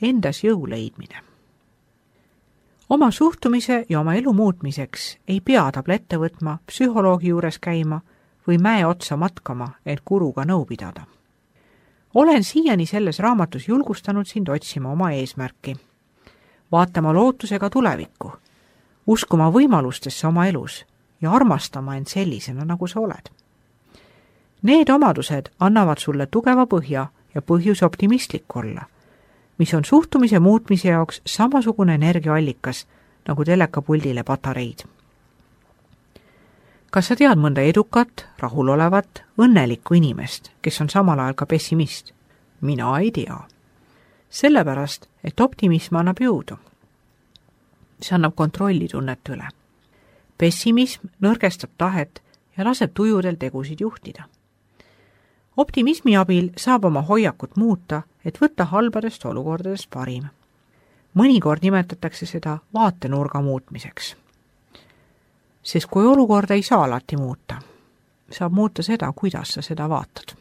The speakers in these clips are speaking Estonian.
endas jõu leidmine. Oma suhtumise ja oma elu muutmiseks ei pea tablette võtma, psühholoogi juures käima või mäe otsa matkama, et guruga nõu pidada. Olen siiani selles raamatus julgustanud sind otsima oma eesmärki, vaatama lootusega tulevikku, uskuma võimalustesse oma elus ja armastama end sellisena, nagu sa oled. Need omadused annavad sulle tugeva põhja ja põhjus optimistlik olla, mis on suhtumise muutmise jaoks samasugune energiaallikas nagu telekapuldile patareid. Kas sa tead mõnda edukat, rahulolevat, õnnelikku inimest, kes on samal ajal ka pessimist? Mina ei tea. Sellepärast, et optimism annab jõudu. See annab kontrolli tunnet üle. Pessimism nõrgestab tahet ja laseb tujudel tegusid juhtida. Optimismi abil saab oma hoiakut muuta, et võtta halbadest olukordadest parim. Mõnikord nimetatakse seda vaatenurga muutmiseks. Sest kui olukorda ei saa alati muuta, saab muuta seda, kuidas sa seda vaatad.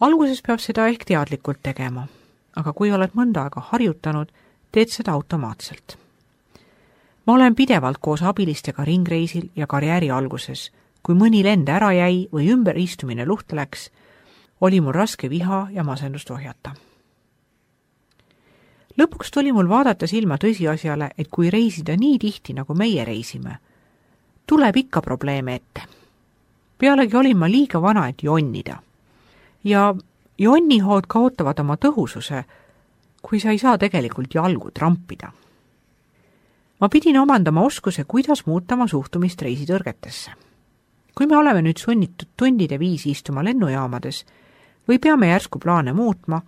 Alguses peab seda ehk teadlikult tegema, aga kui oled mõnda aega harjutanud, teed seda automaatselt. Ma olen pidevalt koos abilistega ringreisil ja karjääri alguses. Kui mõni lend ära jäi või ümberistumine luhta läks, oli mul raske viha ja masendust ohjata. Lõpuks tuli mul vaadata silma tõsiasjale, et kui reisida nii tihti, nagu meie reisime, tuleb ikka probleeme ette. Pealegi olin ma liiga vana, et jonnida. Ja jonnihood kaotavad oma tõhususe, kui sa ei saa tegelikult jalgu trampida. Ma pidin omandama oskuse, kuidas muuta oma suhtumist reisitõrgetesse. Kui me oleme nüüd sunnitud tundide viisi istuma lennujaamades või peame järsku plaane muutma,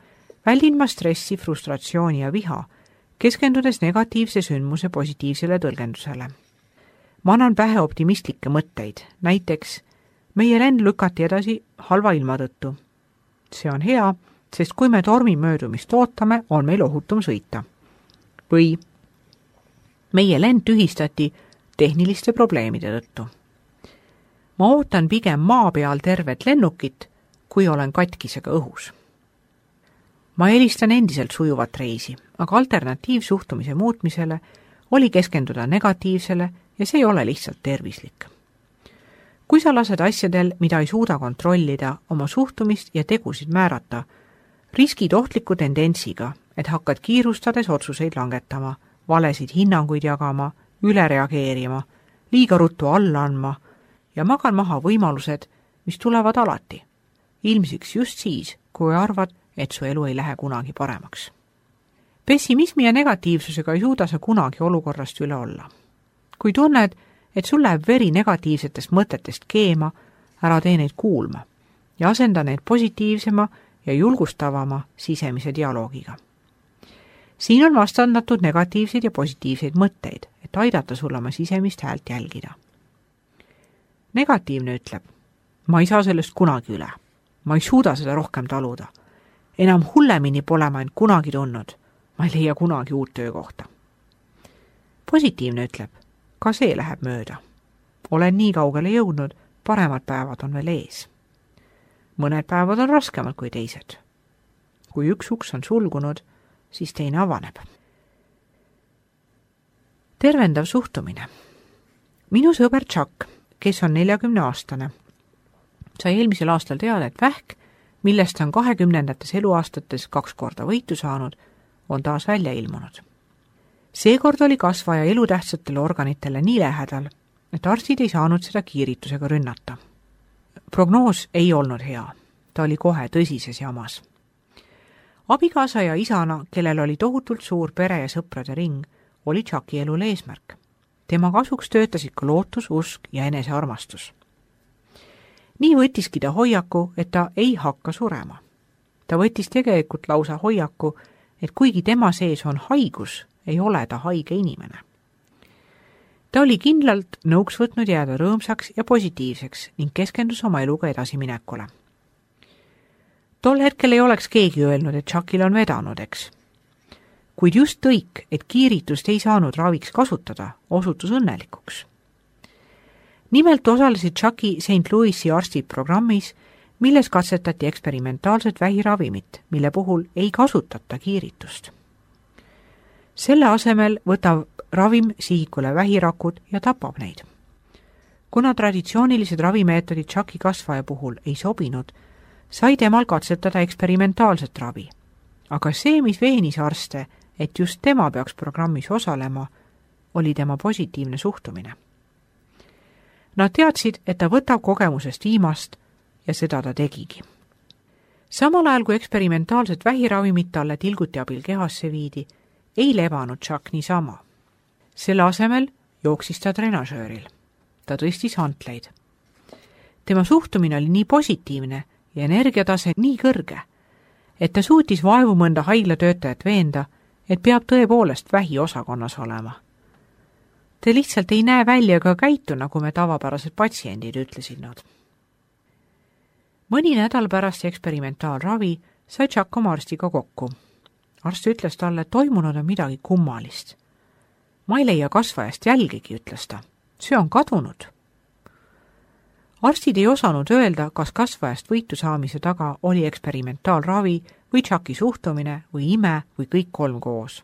väldin ma stressi, frustratsiooni ja viha, keskendudes negatiivse sündmuse positiivsele tõlgendusele. Ma annan pähe optimistlikke mõtteid, näiteks meie lend lükati edasi halva ilma tõttu. See on hea, sest kui me tormi möödumist ootame, on meil ohutum sõita. Või meie lend tühistati tehniliste probleemide tõttu. Ma ootan pigem maa peal tervet lennukit, kui olen katkisega õhus. Ma eelistan endiselt sujuvat reisi, aga alternatiivsuhtumise muutmisele oli keskenduda negatiivsele ja see ei ole lihtsalt tervislik. Kui sa lased asjadel, mida ei suuda kontrollida, oma suhtumist ja tegusid määrata, riskid ohtliku tendentsiga, et hakkad kiirustades otsuseid langetama, valesid hinnanguid jagama, üle reageerima, liiga ruttu alla andma ja magan maha võimalused, mis tulevad alati. Ilmsiks just siis, kui arvad, et su elu ei lähe kunagi paremaks. Pessimismi ja negatiivsusega ei suuda sa kunagi olukorrast üle olla. Kui tunned, et sul läheb veri negatiivsetest mõtetest keema, ära tee neid kuulma ja asenda neid positiivsema ja julgustavama sisemise dialoogiga. Siin on vastandatud negatiivseid ja positiivseid mõtteid, et aidata sul oma sisemist häält jälgida. Negatiivne ütleb, ma ei saa sellest kunagi üle. Ma ei suuda seda rohkem taluda. Enam hullemini pole ma end kunagi tundnud. Ma ei leia kunagi uut töökohta. Positiivne ütleb, ka see läheb mööda. Olen nii kaugele jõudnud, paremad päevad on veel ees. Mõned päevad on raskemad kui teised. Kui üks uks on sulgunud, siis teine avaneb. Tervendav suhtumine. Minu sõber Chuck, kes on 40-aastane, sai eelmisel aastal teada, et vähk, millest on 20. eluaastates 2 korda võitu saanud, on taas välja ilmunud. Seekord oli kasvaja elutähtsatele organitele nii lähedal, et arstid ei saanud seda kiiritusega rünnata. Prognoos ei olnud hea, ta oli kohe tõsises jamas. Abikaasa ja isana, kellel oli tohutult suur pere ja sõprade ring, oli Chucki elul eesmärk. Tema kasuks töötasid ka lootus, usk ja enesearmastus. Nii võttiski ta hoiaku, et ta ei hakka surema. Ta võttis tegelikult lausa hoiaku, et kuigi tema sees on haigus, ei ole ta haige inimene. Ta oli kindlalt nõuks võtnud jääda rõõmsaks ja positiivseks ning keskendus oma eluga edasiminekule. Tol hetkel ei oleks keegi öelnud, et Chuckil on vedanud, eks. Kuid just tõik, et kiiritust ei saanud raviks kasutada, osutus õnnelikuks. Nimelt osalesid Chucki St. Louisi arstid programmis, milles katsetati eksperimentaalset vähiravimit, mille puhul ei kasutata kiiritust. Selle asemel võtab ravim sihikule vähirakud ja tapab neid. Kuna traditsioonilised ravimeetodid Chucki kasvaja puhul ei sobinud, sai temal katsetada eksperimentaalset ravi. Aga see, mis veenis arste, et just tema peaks programmis osalema, oli tema positiivne suhtumine. Nad teadsid, et ta võtab kogemusest viimast ja seda ta tegigi. Samal ajal, kui eksperimentaalset vähiravimit talle tilguti abil kehasse viidi, ei lebanud Chuck niisama. Selle asemel jooksis ta trenažööril. Ta tõstis hantleid. Tema suhtumine oli nii positiivne ja energiatase nii kõrge, et ta suutis vaevu mõnda haiglatöötajat veenda, et peab tõepoolest vähiosakonnas olema. Te lihtsalt ei näe välja ega käitu, nagu me tavapärased patsiendid, ütlesid nad. Mõni nädal pärast eksperimentaalravi sai Chuck oma arstiga kokku. Arst ütles talle, et toimunud on midagi kummalist. Ma ei leia kasvajast jälgigi, ütles ta. See on kadunud. Arstid ei osanud öelda, kas kasvajast võitu saamise taga oli eksperimentaalravi või Chucki suhtumine või ime või kõik kolm koos.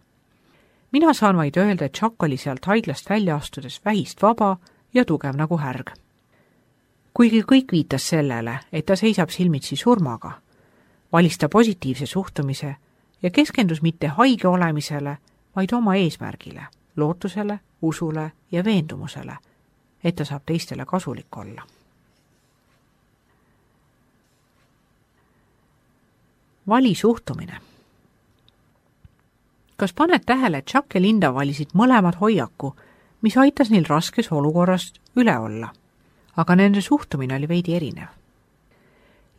Mina saan vaid öelda, et Chuck oli sealt haiglast välja astudes vähist vaba ja tugev nagu härg. Kuigi kõik viitas sellele, et ta seisab silmitsi surmaga, valis ta positiivse suhtumise ja keskendus mitte haige olemisele, vaid oma eesmärgile, lootusele, usule ja veendumusele, et ta saab teistele kasulik olla. Vali suhtumine. Kas paned tähele, et Chuck ja Linda valisid mõlemad hoiaku, mis aitas neil raskes olukorrast üle olla, aga nende suhtumine oli veidi erinev.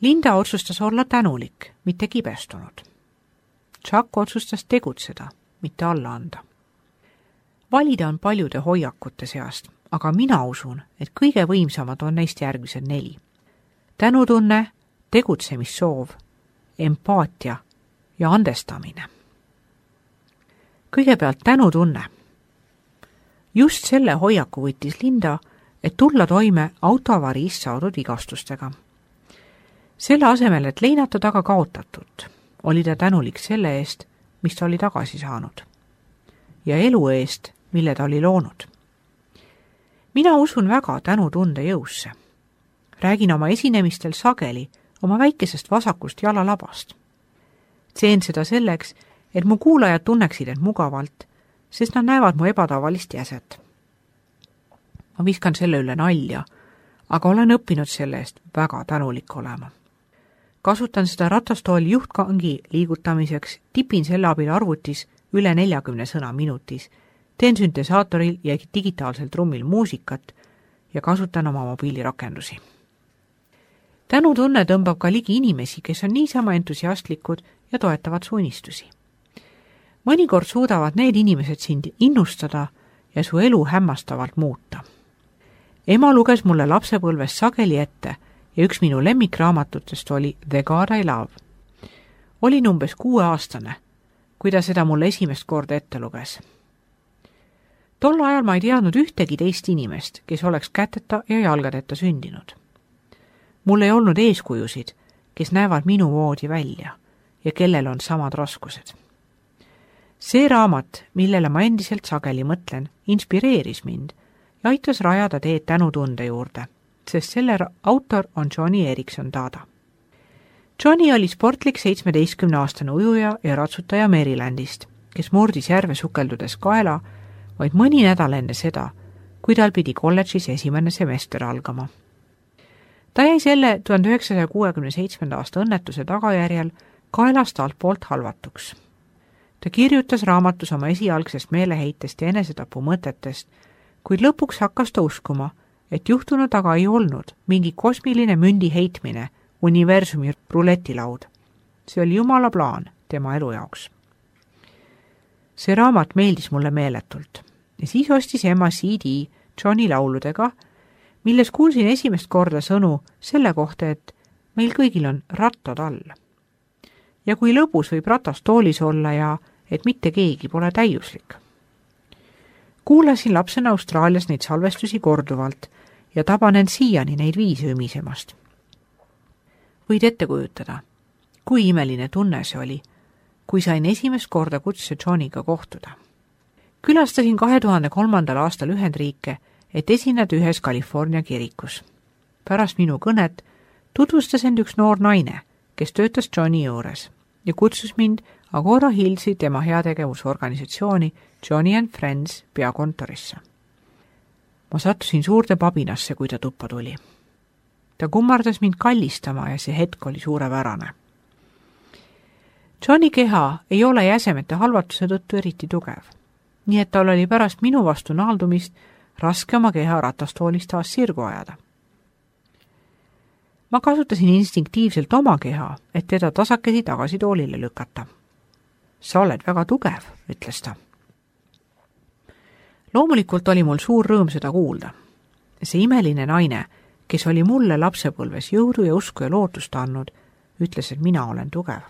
Linda otsustas olla tänulik, mitte kibestunud. Chuck otsustas tegutseda, mitte alla anda. Valida on paljude hoiakute seast, aga mina usun, et kõige võimsamad on neist järgmised 4. Tänutunne, tegutsemissoov, empaatia ja andestamine. Kõigepealt tänutunne. Just selle hoiaku võttis Linda, et tulla toime autoavariist saadud vigastustega. Selle asemel, et leinata taga kaotatut, oli ta tänulik selle eest, mis ta oli tagasi saanud. Ja elu eest, mille ta oli loonud. Mina usun väga tänutunde jõusse. Räägin oma esinemistel sageli oma väikesest vasakust jalalabast. Teen seda selleks, et mu kuulajad tunneksid end mugavalt, sest nad näevad mu ebatavalist jäset. Ma viskan selle üle nalja, aga olen õppinud selle eest väga tänulik olema. Kasutan seda ratastooli juhtkangi liigutamiseks, tipin selle abil arvutis üle 40 sõna minutis, teen süntesaatoril ja digitaalsel trummil muusikat ja kasutan oma mobiilirakendusi. Tänutunne tõmbab ka ligi inimesi, kes on niisama entusiastlikud ja toetavad su unistusi. Mõnikord suudavad need inimesed sind innustada ja su elu hämmastavalt muuta. Ema luges mulle lapsepõlves sageli ette ja üks minu lemmikraamatutest oli The God I Love. Olin umbes 6-aastane, kui ta seda mulle esimest korda ette luges. Tol ajal ma ei teadnud ühtegi teist inimest, kes oleks käteta ja jalgadeta sündinud. Mul ei olnud eeskujusid, kes näevad minu moodi välja ja kellel on samad raskused. See raamat, millele ma endiselt sageli mõtlen, inspireeris mind ja aitas rajada teed tänutunde juurde, sest selle autor on Johnny Erickson Tada. Johnny oli sportlik 17-aastane ujuja ja ratsutaja Marylandist, kes murdis järve sukeldudes kaela vaid mõni nädal enne seda, kui tal pidi kolledžis esimene semester algama. Ta jäi selle 1967. aasta õnnetuse tagajärjel kaelast altpoolt halvatuks. Ta kirjutas raamatus oma esialgsest meeleheitest ja enesetapu mõtetest, kuid lõpuks hakkas ta uskuma, et juhtunu taga ei olnud mingi kosmiline mündi heitmine, universumi ruletilaud. See oli Jumala plaan tema elu jaoks. See raamat meeldis mulle meeletult ja siis ostis ema CD Johnny lauludega, milles kuulsin esimest korda sõnu selle kohta, et meil kõigil on rattad all. Ja kui lõbus võib ratastoolis olla ja et mitte keegi pole täiuslik. Kuulasin lapsena Austraalias neid salvestusi korduvalt ja tabanen siiani neid viise ümisemast. Võid ette kujutada, kui imeline tunne see oli, kui sain esimest korda kutse Johniga kohtuda. Külastasin 2003. aastal Ühendriike, et esineda ühes California kirikus. Pärast minu kõnet tutvustas end üks noor naine, kes töötas Johni juures ja kutsus mind Agora Hillsi tema heategevusorganisatsiooni Johnny and Friends peakontorisse. Ma sattusin suurde pabinasse, kui ta tuppa tuli. Ta kummardas mind kallistama ja see hetk oli suurepärane. Johni keha ei ole jäsemete halvatuse tõttu eriti tugev, nii et tal oli pärast minu vastu naaldumist raske oma keha ratastoolist taas sirgu ajada. Ma kasutasin instinktiivselt oma keha, et teda tasakesi tagasi toolile lükata. Sa oled väga tugev, ütles ta. Loomulikult oli mul suur rõõm seda kuulda. See imeline naine, kes oli mulle lapsepõlves jõudu ja usku ja lootust andnud, ütles, et mina olen tugev.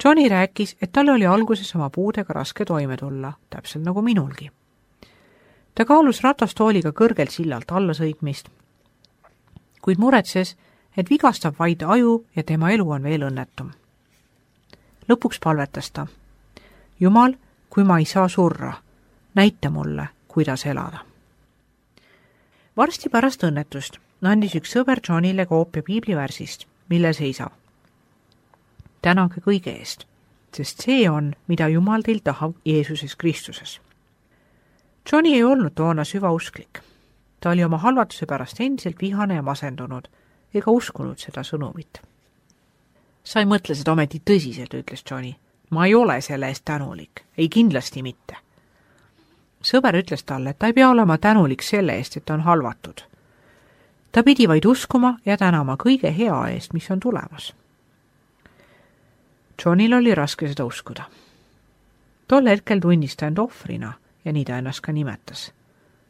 Johnny rääkis, et tal oli alguses oma puudega raske toime tulla, täpselt nagu minulgi. Ta kaalus ratastooliga kõrgelt sillalt alla sõitmist, kuid muretses, et vigastab vaid aju ja tema elu on veel õnnetum. Lõpuks palvetas ta. Jumal, kui ma ei saa surra, näita mulle, kuidas elada. Varsti pärast õnnetust andis üks sõber Johnile koopia piiblivärsist, mille seisab. Tänage kõige eest, sest see on, mida Jumal teil tahab Jeesuses Kristuses. Johnny ei olnud toona süvausklik. Ta oli oma halvatuse pärast endiselt vihane ja masendunud ega uskunud seda sõnumit. Sa ei mõtle seda ometi tõsiselt, ütles Johnny. Ma ei ole selle eest tänulik, ei kindlasti mitte. Sõber ütles talle, et ta ei pea olema tänulik selle eest, et ta on halvatud. Ta pidi vaid uskuma ja tänama kõige hea eest, mis on tulemas. Johnil oli raske seda uskuda. Tol hetkel tundis ta end ohvrina ja nii ta ennast ka nimetas.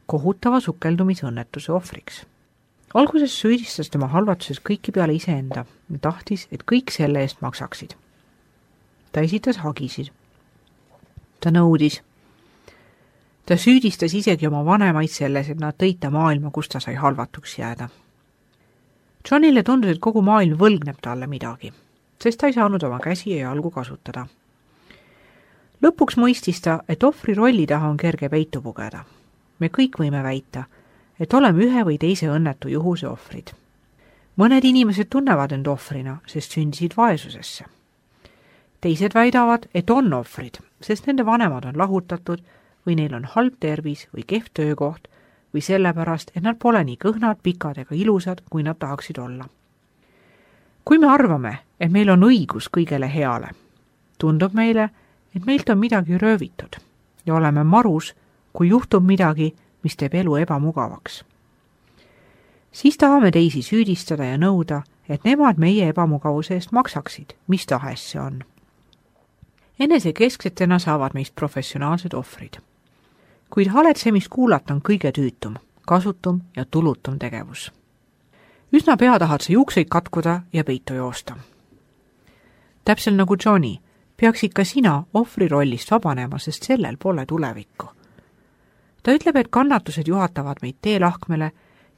Kohutava sukeldumisõnnetuse ohvriks. Alguses süüdistas tema halvatuses kõiki peale iseenda ja tahtis, et kõik selle eest maksaksid. Ta esitas hagisid. Ta nõudis. Ta süüdistas isegi oma vanemaid selles, et nad tõid ta maailma, kus ta sai halvatuks jääda. Johnile tundus, et kogu maailm võlgneb talle midagi, sest ta ei saanud oma käsi ja jalgu kasutada. Lõpuks mõistis ta, et ohvri rolli taha on kerge peitu pugeda. Me kõik võime väita, et oleme ühe või teise õnnetu juhuse ohvrid. Mõned inimesed tunnevad end ohvrina, sest sündisid vaesusesse. Teised väidavad, et on ohvrid, sest nende vanemad on lahutatud või neil on halb tervis või kehv töökoht või sellepärast, et nad pole nii kõhnad, pikad ega ilusad, kui nad tahaksid olla. Kui me arvame, et meil on õigus kõigele heale, tundub meile, et meilt on midagi röövitud ja oleme marus, kui juhtub midagi, mis teeb elu ebamugavaks. Siis tahame teisi süüdistada ja nõuda, et nemad meie ebamugavuse eest maksaksid, mis tahes see on. Enesekesksetena saavad meist professionaalsed ohvrid. Kuid haletsemist kuulata on kõige tüütum, kasutum ja tulutum tegevus. Üsna pea tahad sa juukseid katkuda ja peitu joosta. Täpselt nagu Johnny, peaksid ka sina ohvri rollist vabanema, sest sellel pole tulevikku. Ta ütleb, et kannatused juhatavad meid teelahkmele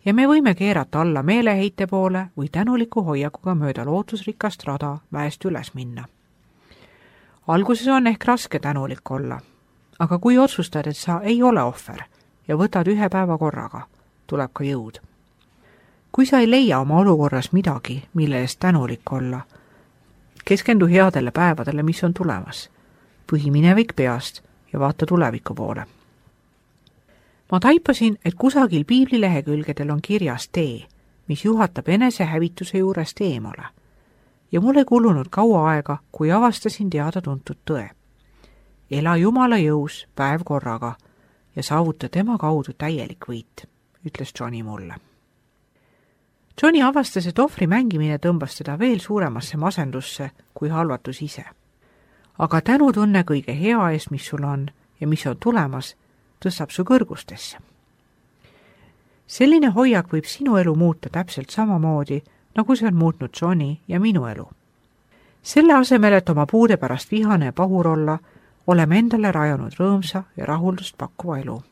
ja me võime keerata alla meeleheite poole või tänuliku hoiakuga mööda lootusrikast rada mäest üles minna. Alguses on ehk raske tänulik olla, aga kui otsustad, et sa ei ole ohver ja võtad ühe päeva korraga, tuleb ka jõud. Kui sa ei leia oma olukorras midagi, mille eest tänulik olla, keskendu headele päevadele, mis on tulemas, põhi minevik peast ja vaata tuleviku poole. Ma taipasin, et kusagil piiblilehekülgedel on kirjas tee, mis juhatab enesehävituse juurest eemale. Ja mul ei kulunud kaua aega, kui avastasin teada-tuntud tõe. Ela Jumala jõus päev korraga ja saavuta tema kaudu täielik võit, ütles Johnny mulle. Johnny avastas, et ohvri mängimine tõmbas teda veel suuremasse masendusse kui halvatus ise. Aga tänutunne kõige hea eest, mis sul on ja mis on tulemas, tõstab su kõrgustesse. Selline hoiak võib sinu elu muuta täpselt samamoodi, nagu see on muutnud Johnny ja minu elu. Selle asemel, et oma puude pärast vihane ja pahur olla, oleme endale rajanud rõõmsa ja rahuldust pakkuva elu.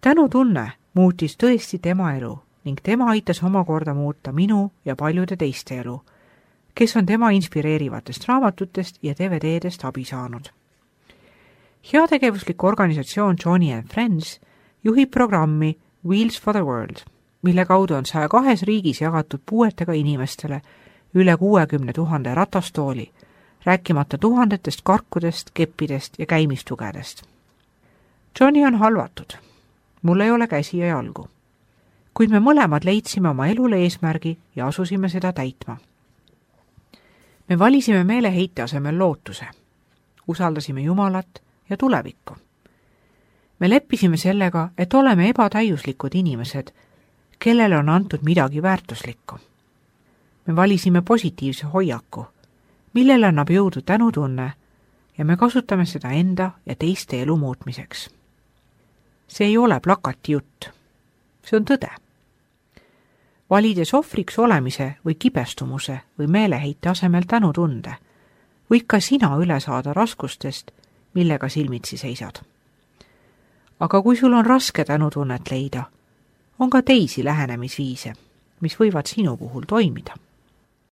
Tänutunne muutis tõesti tema elu ning tema aitas omakorda muuta minu ja paljude teiste elu, kes on tema inspireerivatest raamatutest ja DVD-dest abi saanud. Heategevuslik organisatsioon Joni and Friends juhib programmi Wheels for the World, mille kaudu on 102 riigis jagatud puuetega inimestele üle 60 000 ratastooli, rääkimata tuhandetest karkudest, keppidest ja käimistugedest. Joni on halvatud. Mul ei ole käsi ja jalgu. Kuid me mõlemad leidsime oma elule eesmärgi ja asusime seda täitma. Me valisime meeleheite asemel lootuse. Usaldasime Jumalat ja tulevikku. Me leppisime sellega, et oleme ebatäiuslikud inimesed, kellele on antud midagi väärtuslikku. Me valisime positiivse hoiaku, millele annab jõudu tänutunne ja me kasutame seda enda ja teiste elu muutmiseks. See ei ole plakati jutt. See on tõde. Valides ohvriks olemise või kibestumuse või meeleheite asemel tänutunde, võid ka sina üle saada raskustest, millega silmitsi seisad. Aga kui sul on raske tänutunnet leida, on ka teisi lähenemisviise, mis võivad sinu puhul toimida.